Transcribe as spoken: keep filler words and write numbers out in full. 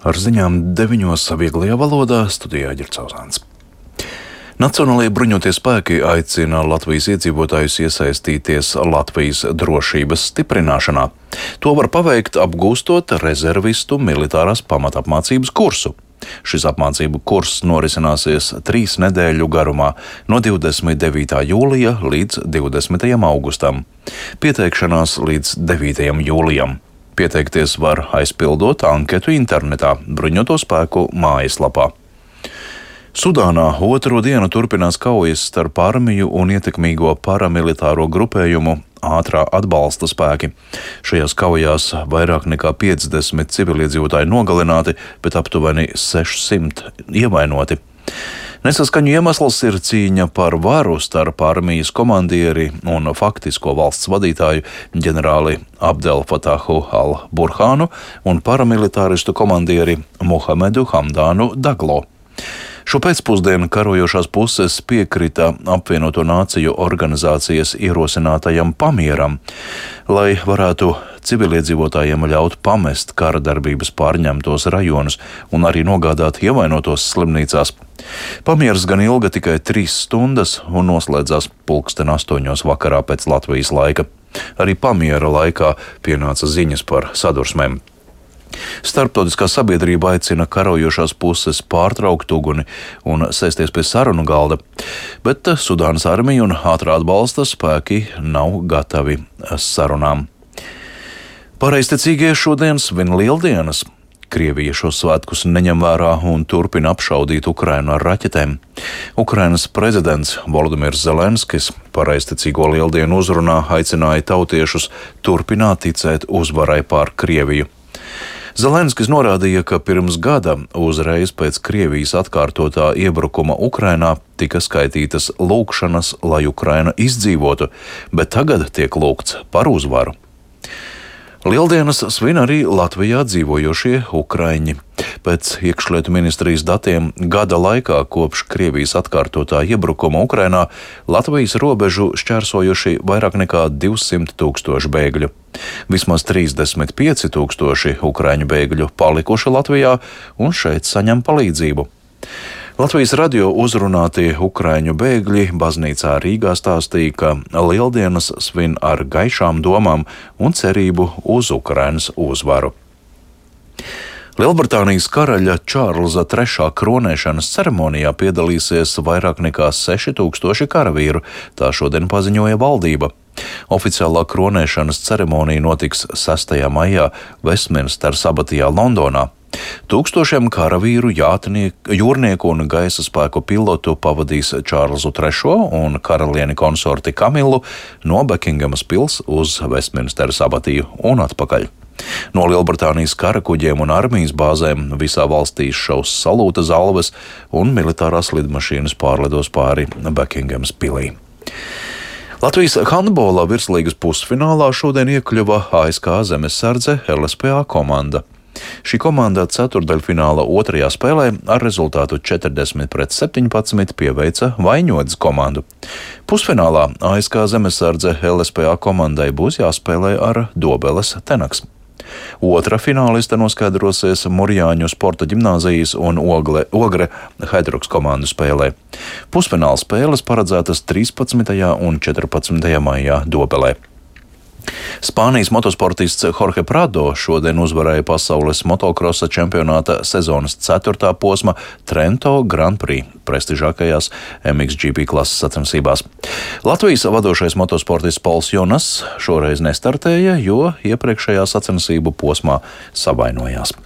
Ar ziņām deviņos vieglajā valodā studijā Ģercauzāns. Nacionālajie bruņotie spēki aicina Latvijas iedzīvotājus iesaistīties Latvijas drošības stiprināšanā. To var paveikt, apgūstot rezervistu militārās pamatapmācības kursu. Šis apmācību kurs norisināsies trīs nedēļu garumā no divdesmit devītā jūlija līdz divdesmitajam augustam. Pieteikšanās līdz devītajam jūlijam. Pieteikties var aizpildot anketu internetā bruņoto spēku mājaslapā. Sudānā otro dienu turpinās kaujas starp armiju un ietekmīgo paramilitāro grupējumu ātrā atbalsta spēki. Šajās kaujās vairāk nekā piecdesmit civiliedzīvotāji nogalināti, bet aptuveni sešsimt ievainoti. Nesaskaņu iemesls ir cīņa par varu starp armijas komandieri un faktisko valsts vadītāju ģenerāli Abdel Fatahu al-Burhānu un paramilitāristu komandieri Muhamedu Hamdānu Daglo. Šo pēcpusdienu karojošās puses piekrita apvienoto nāciju organizācijas ierosinātajam pamieram, lai varētu civiliedzīvotājiem ļaut pamest kara darbības pārņemtos rajonus un arī nogādāt ievainotos slimnīcās. Pamieras gan ilga tikai trīs stundas un noslēdzās pulksten astoņos vakarā pēc Latvijas laika. Arī pamiera laikā pienāca ziņas par sadursmēm. Starptautiskā sabiedrība aicina karojošās puses pārtraukt uguni un sēsties pie sarunu galda, bet Sudānas armija un ātrā atbalsta spēki nav gatavi sarunām. Pareizticīgie šodien svin Lieldienas. Krievija šos svētkus neņem vērā un turpina apšaudīt Ukrainu ar raķetēm. Ukrainas prezidents Volodimirs Zelenskis pareizticīgo Lieldienu uzrunā aicināja tautiešus turpināt ticēt uzvarai pār Krieviju. Zelenskis norādīja, ka pirms gada, uzreiz pēc Krievijas atkārtotā iebrukuma Ukrainā, tika skaitītas lūgšanas, lai Ukraina izdzīvotu, bet tagad tiek lūgts par uzvaru. Lieldienas svin arī Latvijā dzīvojošie ukraiņi. Pēc iekšlietu ministrijas datiem gada laikā kopš Krievijas atkārtotā iebrukuma Ukrainā Latvijas robežu šķērsojuši vairāk nekā divsimt tūkstoši bēgļu. Vismaz trīsdesmit pieci tūkstoši ukraiņu bēgļu palikuši Latvijā un šeit saņem palīdzību. Latvijas radio uzrunātie ukraiņu bēgļi baznīcā Rīgā stāstīja, ka Lieldienas svin ar gaišām domām un cerību uz Ukrainas uzvaru. Lielbritānijas karaļa Čārlza trešā kronēšanas ceremonijā piedalīsies vairāk nekā seši tūkstoši karavīru, tā šodien paziņoja valdība. Oficiālā kronēšanas ceremonija notiks sestajā maijā Vestminsteras abatijā Londonā. Tūkstošiem karavīru, jātnieku, jūrnieku un gaisa spēku pilotu pavadīs Čārlzu trešo un karalieni konsorti Kamilu no Bekingamas pils uz Vestminsteras abatiju un atpakaļ. No Lielbritānijas karakuģiem un armijas bāzēm visā valstī šaus salūta zalves un militārās lidmašīnas pārlidos pāri Bekingamas pilī. Latvijas handbola virslīgas pusfinālā šodien iekļuva A S K Zemesardze L S P A komanda. Šī komanda ceturdaļfināla otrajā spēlē ar rezultātu četrdesmit pret septiņpadsmit pieveica Vaņodas komandu. Pusfinālā A S K Zemesardze L S P A komandai būs jāspēlē ar Dobeles Tenaks. Otra fināliste noskaidrosies Murjāņu sporta ģimnāzijas un Ogle, Ogre Haidruks komandu spēlē. Pusfināla spēles paredzētas trīspadsmitajā un četrpadsmitajā maijā Dobelē. Spānijas motosportists Jorge Prado šodien uzvarēja pasaules motokrosa čempionāta sezonas ceturtā posma Trento Grand Prix prestižākajās M X G P klases sacensībās. Latvijas vadošais motosportists Pols Jonas šoreiz nestartēja, jo iepriekšējā sacensību posmā savainojās.